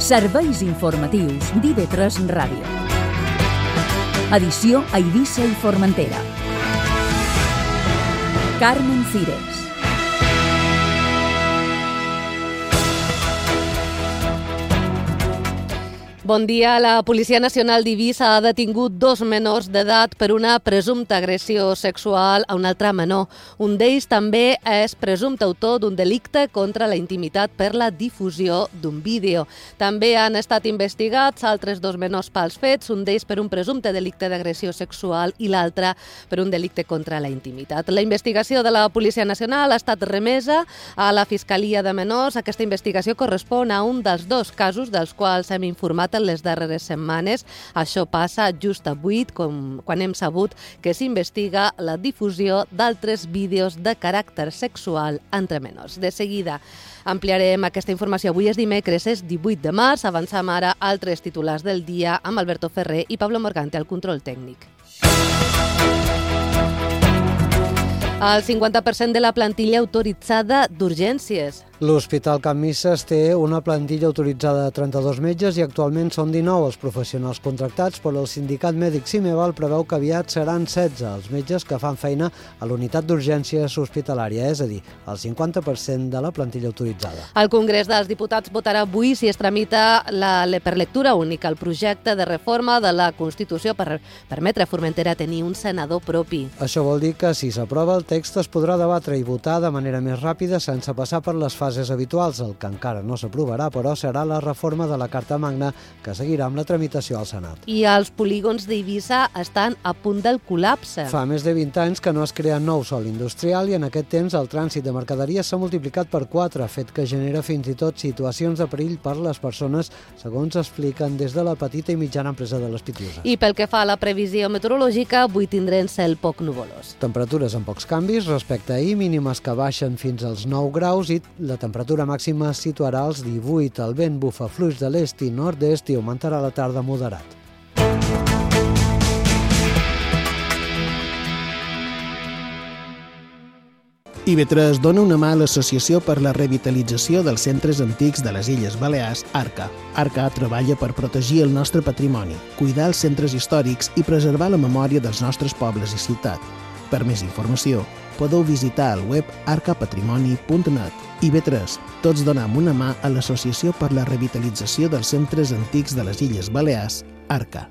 Serveis informatius d'IV3 Ràdio. Edició a Eivissa i Formentera. Carmen Cires. Bon dia. La Policia Nacional d'Eivissa ha detingut 2 menors d'edat per una presumpta agressió sexual a un altre menor. Un d'ells també és presumpte autor d'un delicte contra la intimitat per la difusió d'un vídeo. També han estat investigats altres 2 menors pels fets, un d'ells per un presumpte delicte d'agressió sexual i l'altre per un delicte contra la intimitat. La investigació de la Policia Nacional ha estat remesa a la Fiscalia de Menors. Aquesta investigació correspon a un dels 2 casos dels quals hem informat en les darreres setmanes. Això passa just avui, quan hem sabut que s'investiga la difusió d'altres vídeos de caràcter sexual entre menors. De seguida ampliarem aquesta informació. Avui és dimecres, és 18 de març. Avancem ara altres titulars del dia amb Alberto Ferrer i Pablo Morgante al control tècnic. El 50% de la plantilla autoritzada d'urgències. L'Hospital Can Misses té una plantilla autoritzada de 32 metges i actualment són 19 els professionals contractats, però el sindicat mèdic Cimeval preveu que aviat seran 16 els metges que fan feina a l'unitat d'urgències hospitalària, és a dir, el 50% de la plantilla autoritzada. El Congrés dels Diputats votarà avui si es tramita per lectura única el projecte de reforma de la Constitució per permetre a Formentera tenir un senador propi. Això vol dir que si s'aprova el text es podrà debatre i votar de manera més ràpida sense passar per les fases habituals. El que encara no s'aprovarà, però, serà la reforma de la Carta Magna que seguirà amb la tramitació al Senat. I els polígons d'Eivissa estan a punt del col·lapse. Fa més de 20 anys que no es crea nou sòl industrial i en aquest temps el trànsit de mercaderies s'ha multiplicat per 4, fet que genera fins i tot situacions de perill per les persones, segons expliquen des de la petita i mitjana empresa de les Pitiuses. I pel que fa a la previsió meteorològica, avui tindrem cel poc nuvolós. Temperatures amb pocs canvis respecte a ahir, mínimes que baixen fins als 9 graus i la temperatura màxima es situarà als 18. El vent bufa fluix de l'est i nord-est i augmentarà a la tarda moderat. IV3 dona una mà a l'Associació per la Revitalització dels Centres Antics de les Illes Balears, ARCA. ARCA treballa per protegir el nostre patrimoni, cuidar els centres històrics i preservar la memòria dels nostres pobles i ciutats. Per més informació, podeu visitar el web arcapatrimoni.net. IV3, tots donem una mà a l'Associació per la Revitalització dels Centres Antics de les Illes Balears, ARCA.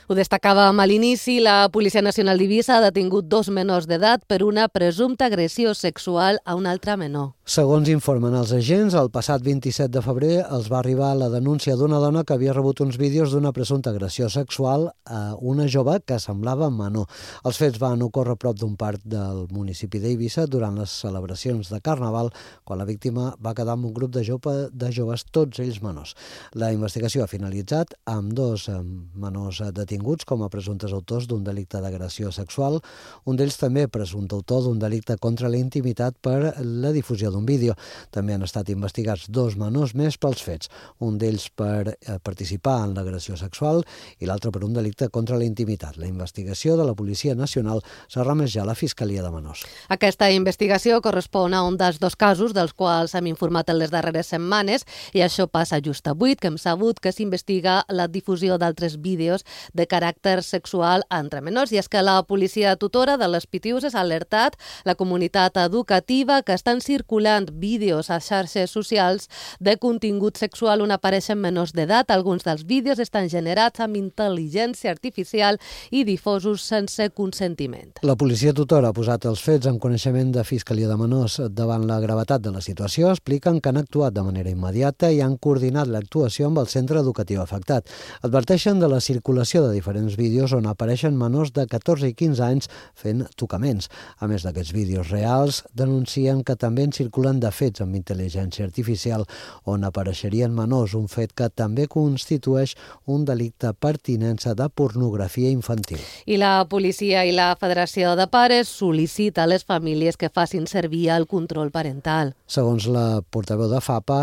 Ho destacàvem a l'inici, la Policia Nacional d'Eivissa ha detingut 2 menors d'edat per una presumpta agressió sexual a un altre menor. Segons informen els agents, el passat 27 de febrer els va arribar la denúncia d'una dona que havia rebut uns vídeos d'una presumpta agressió sexual a una jove que semblava menor. Els fets van ocórrer prop d'un parc del municipi d'Eivissa durant les celebracions de Carnaval, quan la víctima va quedar amb un grup de joves, tots ells menors. La investigació ha finalitzat amb 2 menors detinguts com a presumptes autors d'un delicte d'agressió sexual, un d'ells també presumpte autor d'un delicte contra la intimitat per la difusió d'un vídeo. També han estat investigats 2 menors més pels fets, un d'ells per participar en l'agressió sexual i l'altre per un delicte contra la intimitat. La investigació de la Policia Nacional s'ha remès ja a la Fiscalia de Menors. Aquesta investigació correspon a un dels 2 casos dels quals hem informat en les darreres setmanes i això passa just avui, que hem sabut que s'investiga la difusió d'altres vídeos de caràcter sexual entre menors. I és que la policia tutora de les Pitiuses ha alertat la comunitat educativa que estan circulant vídeos a xarxes socials de contingut sexual on apareixen menors d'edat. Alguns dels vídeos estan generats amb intel·ligència artificial i difosos sense consentiment. La policia tutora ha posat els fets en coneixement de Fiscalia de Menors. Davant la gravetat de la situació, expliquen que han actuat de manera immediata i han coordinat l'actuació amb el centre educatiu afectat. Adverteixen de la circulació de diferents vídeos on apareixen menors de 14 i 15 anys fent tocaments. A més d'aquests vídeos reals, denuncien que també en circulen de fets amb intel·ligència artificial on apareixerien menors, un fet que també constitueix un delicte per tinença de pornografia infantil. I la policia i la Federació de Pares sol·licita a les famílies que facin servir el control parental. Segons la portaveu de FAPA,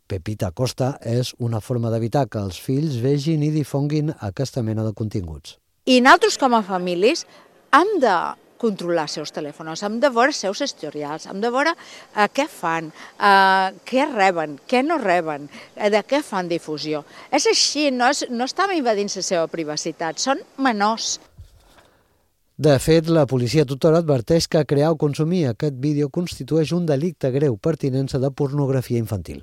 Pepita Costa, és una forma d'evitar que els fills vegin i difonguin aquesta mena de continguts. I nosaltres com a famílies hem de controlar els seus telèfons, hem de veure els seus historials, hem de veure què fan, què reben, què no reben, de què fan difusió. És així, no estem invadint la seva privacitat, són menors. De fet, la policia tutora adverteix que crear o consumir aquest vídeo constitueix un delicte greu per tinença de pornografia infantil.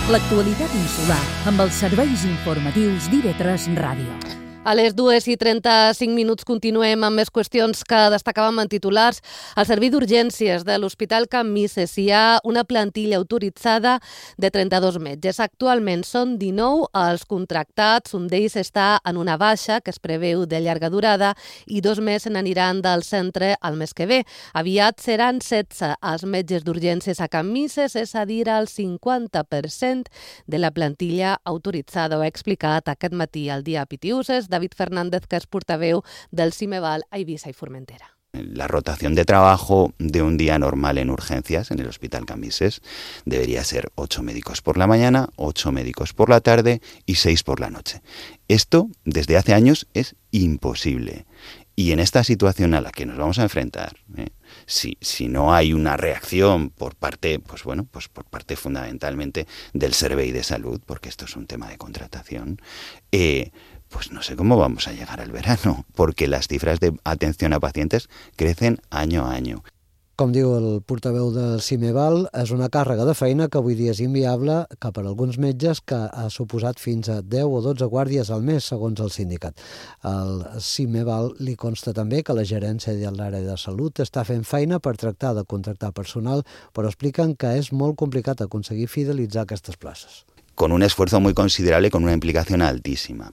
L'actualitat insular amb els serveis informatius d'IV3 Ràdio. A les 2:35 continuem amb més qüestions que destacàvem en titulars. Al servei d'urgències de l'Hospital Can Misses hi ha una plantilla autoritzada de 32 metges. Actualment són 19 els contractats, un d'ells està en una baixa que es preveu de llarga durada i 2 més se n'aniran del centre el mes que ve. Aviat seran 16 els metges d'urgències a Can Misses, és a dir, el 50% de la plantilla autoritzada. Ho ha explicat aquest matí al Dia Pitiuses David Fernández, que es portaveu del CIMEVAL a Eivissa y Formentera. La rotación de trabajo de un día normal en urgencias en el Hospital Can Misses debería ser 8 médicos por la mañana, 8 médicos por la tarde y 6 por la noche. Esto, desde hace años, es imposible. Y en esta situación a la que nos vamos a enfrentar, si no hay una reacción por parte, por parte fundamentalmente del Servei de Salud, porque esto es un tema de contratación, pues no sé cómo vamos a llegar al verano, porque las cifras de atención a pacientes crecen año a año. Com diu el portaveu del CIMEVAL, és una càrrega de feina que avui dia és inviable que per alguns metges que ha suposat fins a 10 o 12 guàrdies al mes, segons el sindicat. Al CIMEVAL li consta també que la gerència de l'àrea de salut està fent feina per tractar de contractar personal, però expliquen que és molt complicat aconseguir fidelitzar aquestes places. Con un esfuerzo muy considerable, con una implicación altísima.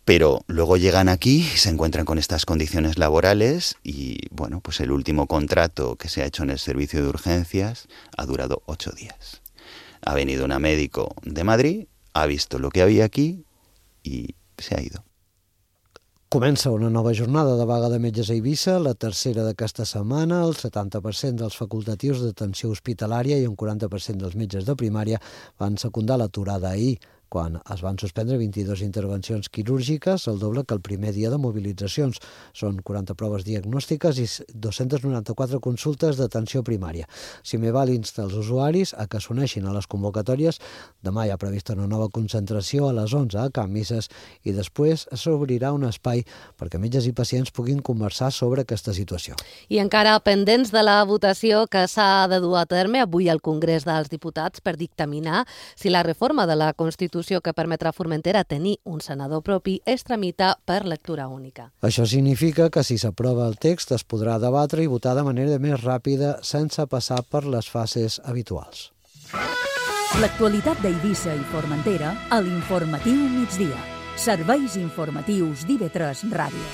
Pero luego llegan aquí, se encuentran con estas condiciones laborales y, pues el último contrato que se ha hecho en el servicio de urgencias ha durado 8 días. Ha venido una médico de Madrid, ha visto lo que había aquí y se ha ido. Comença una nova jornada de vaga de metges a Eivissa, la tercera d'aquesta setmana. El 70% dels facultatius d'atenció hospitalària i un 40% dels metges de primària van secundar l'aturada ahir, quan es van suspendre 22 intervencions quirúrgiques, el doble que el primer dia de mobilitzacions. Són 40 proves diagnòstiques i 294 consultes d'atenció primària. CIMEVAL insta els usuaris a que s'uneixin a les convocatòries. Demà hi ha prevista una nova concentració a les 11 a Can Misses i després s'obrirà un espai perquè metges i pacients puguin conversar sobre aquesta situació. I encara pendents de la votació que s'ha de dur a terme avui al Congrés dels Diputats per dictaminar si la reforma de la Constitució que permetrà a Formentera tenir un senador propi es tramita per lectura única. Això significa que si s'aprova el text es podrà debatre i votar de manera més ràpida sense passar per les fases habituals. L'actualitat d'Eivissa i Formentera a l'Informatiu Migdia. Serveis informatius d'IV3 Ràdio.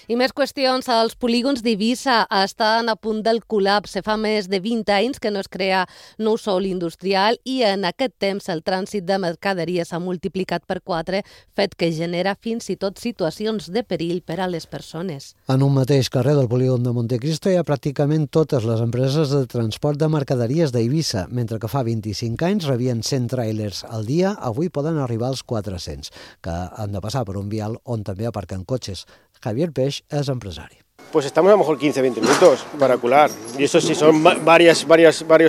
I més qüestions. Els polígons d'Eivissa estan a punt del col·lapse. Fa més de 20 anys que no es crea nou sòl industrial i en aquest temps el trànsit de mercaderies s'ha multiplicat per 4, fet que genera fins i tot situacions de perill per a les persones. En un mateix carrer del polígon de Montecristo hi ha pràcticament totes les empreses de transport de mercaderies d'Eivissa. Mentre que fa 25 anys rebien 100 tràilers al dia, avui poden arribar als 400, que han de passar per un vial on també aparquen cotxes. Javier Peix es empresario. Pues estamos a lo mejor 15-20 minutos para colar. Y eso si son varios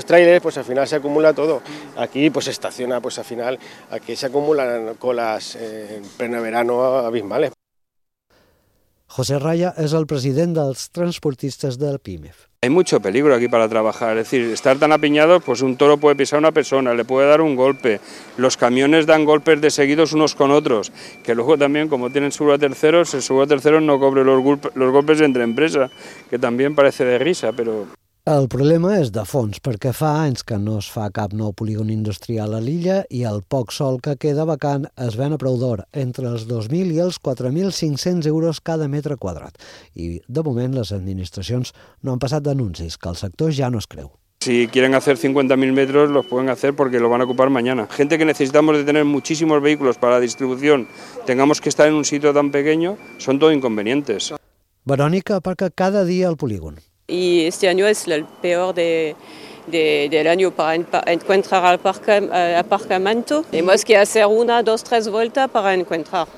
trailers, pues al final se acumula todo. Aquí pues se estaciona, pues al final aquí se acumulan colas en pleno verano abismales. José Raya es el president dels transportistes del PIMEF. Hay mucho peligro aquí para trabajar, es decir, estar tan apiñados, pues un toro puede pisar a una persona, le puede dar un golpe, los camiones dan golpes de seguidos unos con otros, que luego también, como tienen seguro a terceros, el seguro a terceros no cobre los golpes entre empresas, que también parece de risa, pero... El problema és de fons, perquè fa anys que no es fa cap nou polígon industrial a l'illa i el poc sòl que queda vacant es ven a preu d'or, entre els 2.000 i els 4.500 euros cada metre quadrat. I, de moment, les administracions no han passat d'anuncis, que el sector ja no es creu. Si quieren hacer 50.000 metros, los pueden hacer porque lo van a ocupar mañana. Gente que necesitamos de tener muchísimos vehículos para la distribución, tengamos que estar en un sitio tan pequeño, son todo inconvenientes. Verónica aparca cada dia al polígon. Y este año es el peor del año para encontrar aparcamiento. Tenemos que hacer 1, 2, 3 vueltas para encontrar.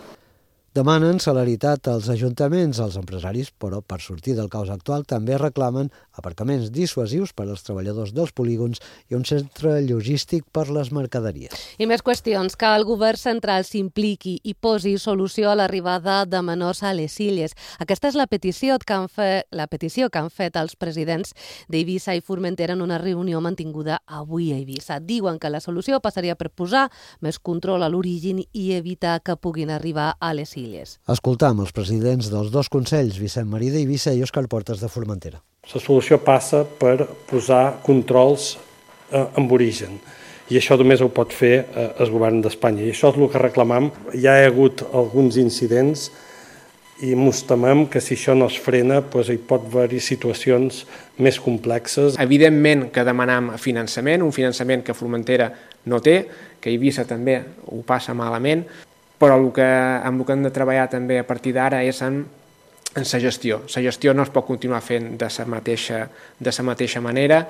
Demanen celeritat als ajuntaments, als empresaris, però per sortir del caos actual també reclamen aparcaments dissuasius per als treballadors dels polígons i un centre logístic per les mercaderies. I més qüestions, que el govern central s'impliqui i posi solució a l'arribada de menors a les illes. Aquesta és la petició que han fet els presidents d'Eivissa i Formentera en una reunió mantinguda avui a Eivissa. Diuen que la solució passaria per posar més control a l'origen i evitar que puguin arribar a les illes. Escoltam els presidents dels dos consells, Vicent Marí d'Eivissa i Òscar Portes de Formentera. La solució passa per posar controls amb origen i això només ho pot fer el govern d'Espanya i això és el que reclamam. Ja hi ha hagut alguns incidents i ens temem que si això no es frena hi pot haver-hi situacions més complexes. Evidentment que demanam finançament, un finançament que Formentera no té, que Eivissa també ho passa malament, però amb el que hem de treballar també a partir d'ara és en la gestió. La gestió no es pot continuar fent de la mateixa manera.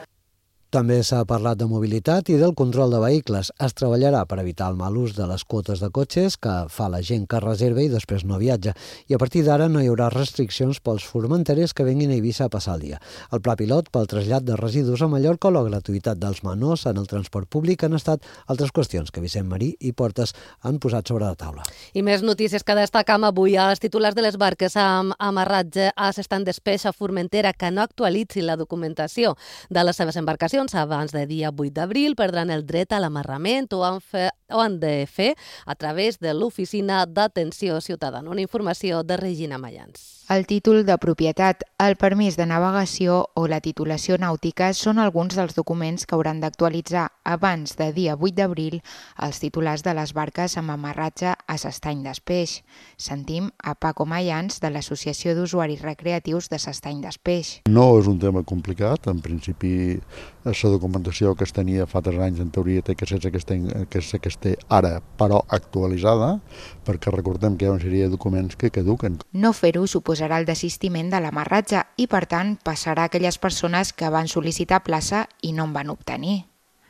També s'ha parlat de mobilitat i del control de vehicles. Es treballarà per evitar el mal ús de les quotes de cotxes que fa la gent que reserva i després no viatja. I a partir d'ara no hi haurà restriccions pels formenterers que vinguin a Eivissa a passar el dia. El pla pilot pel trasllat de residus a Mallorca o la gratuïtat dels menors en el transport públic han estat altres qüestions que Vicent Marí i Portes han posat sobre la taula. I més notícies que destacam avui. Els titulars de les barques amb amarratge a l'estand d'espeix a Formentera que no actualitzin la documentació de les seves embarcacions abans del dia 8 d'abril perdran el dret a l'amarrament o han de fer a través de l'Oficina d'Atenció Ciutadana. Una informació de Regina Mayans. El títol de propietat, el permís de navegació o la titulació nàutica són alguns dels documents que hauran d'actualitzar abans de dia 8 d'abril els titulars de les barques amb amarratge a l'estany d'Espeix. Sentim a Paco Mayans de l'Associació d'Usuaris Recreatius de l'estany d'Espeix. No és un tema complicat, en principi la documentació que es tenia fa 3 anys en teoria té que ser que es té ara, però actualitzada, perquè recordem que hi ha una sèrie de documents que caduquen. No fer-ho suposarà el desistiment de l'amarratge i, per tant, passarà a aquelles persones que van sol·licitar plaça i no en van obtenir.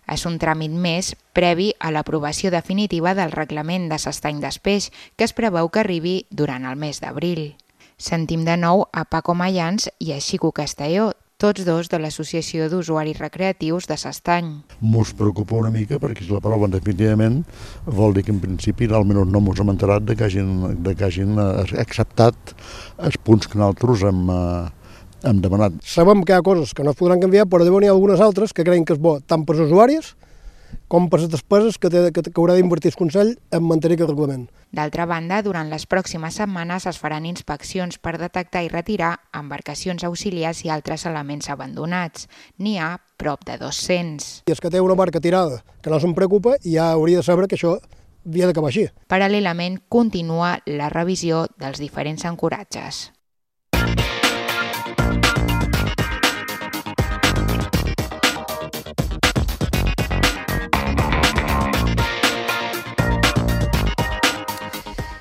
És un tràmit més previ a l'aprovació definitiva del reglament de l'estany d'Espeix, que es preveu que arribi durant el mes d'abril. Sentim de nou a Paco Mayans i a Xico Castelló, tots dos de l'Associació d'Usuaris Recreatius de l'Estany. Mos preocupa una mica perquè si l'aproven definitivament vol dir que en principi almenys no mos hem enterat de que hagin acceptat els punts que nosaltres hem demanat. Sabem que hi ha coses que no es podran canviar, però deuen hi ha algunes altres que creiem que és bo tant per als usuaris com per les despeses que haurà d'invertir el Consell en mantenir aquest reglament. D'altra banda, durant les pròximes setmanes es faran inspeccions per detectar i retirar embarcacions auxiliars i altres elements abandonats. N'hi ha prop de 200. I és que té una barca tirada que no se'n preocupa i ja hauria de saber que això havia d'acabar així. Paral·lelament, continua la revisió dels diferents ancoratges.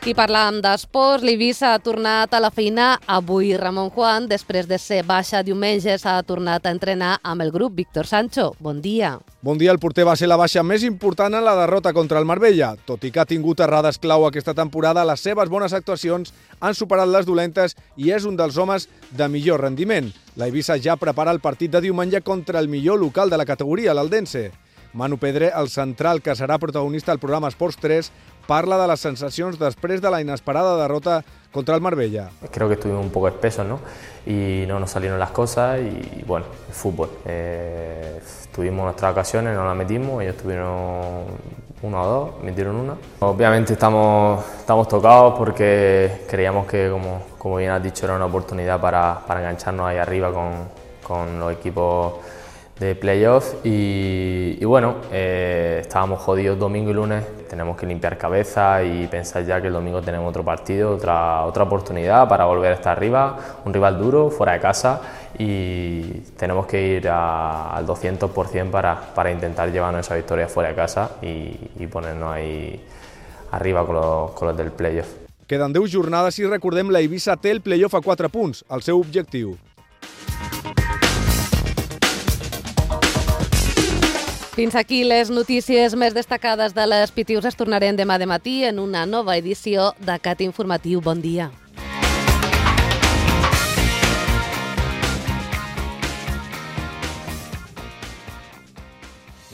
I parlàvem d'esports, l'Eivissa ha tornat a la feina avui. Ramon Juan, després de ser baixa diumenge, s'ha tornat a entrenar amb el grup. Víctor Sancho, bon dia. Bon dia, el porter va ser la baixa més important en la derrota contra el Marbella. Tot i que ha tingut errades clau aquesta temporada, les seves bones actuacions han superat les dolentes i és un dels homes de millor rendiment. L'Eivissa ja prepara el partit de diumenge contra el millor local de la categoria, l'Eldense. Manu Pedre, el central que serà protagonista al programa Esports 3, parla de las sensacions després de la inesperada derrota contra el Marbella. Creo que estuvimos un poco espesos, ¿no? Y no nos salieron las cosas y bueno, el fútbol. Tuvimos nuestras ocasiones, no las metimos, ellos tuvieron 1 o 2, metieron 1. Obviamente estamos tocados porque creíamos que, como bien has dicho, era una oportunidad para engancharnos ahí arriba con los equipos de playoff y bueno, estábamos jodidos domingo y lunes, tenemos que limpiar cabeza y pensar ya que el domingo tenemos otro partido, otra oportunidad para volver a estar arriba, un rival duro, fuera de casa y tenemos que ir al 200% para intentar llevarnos esa victoria fuera de casa y ponernos ahí arriba con los del playoff. Queden 10 jornades i recordem la Eivissa té el playoff a 4 punts, el seu objectiu. Fins aquí les notícies més destacades de les Pitius. Es tornarem demà de matí en una nova edició de Cat Informatiu. Bon dia.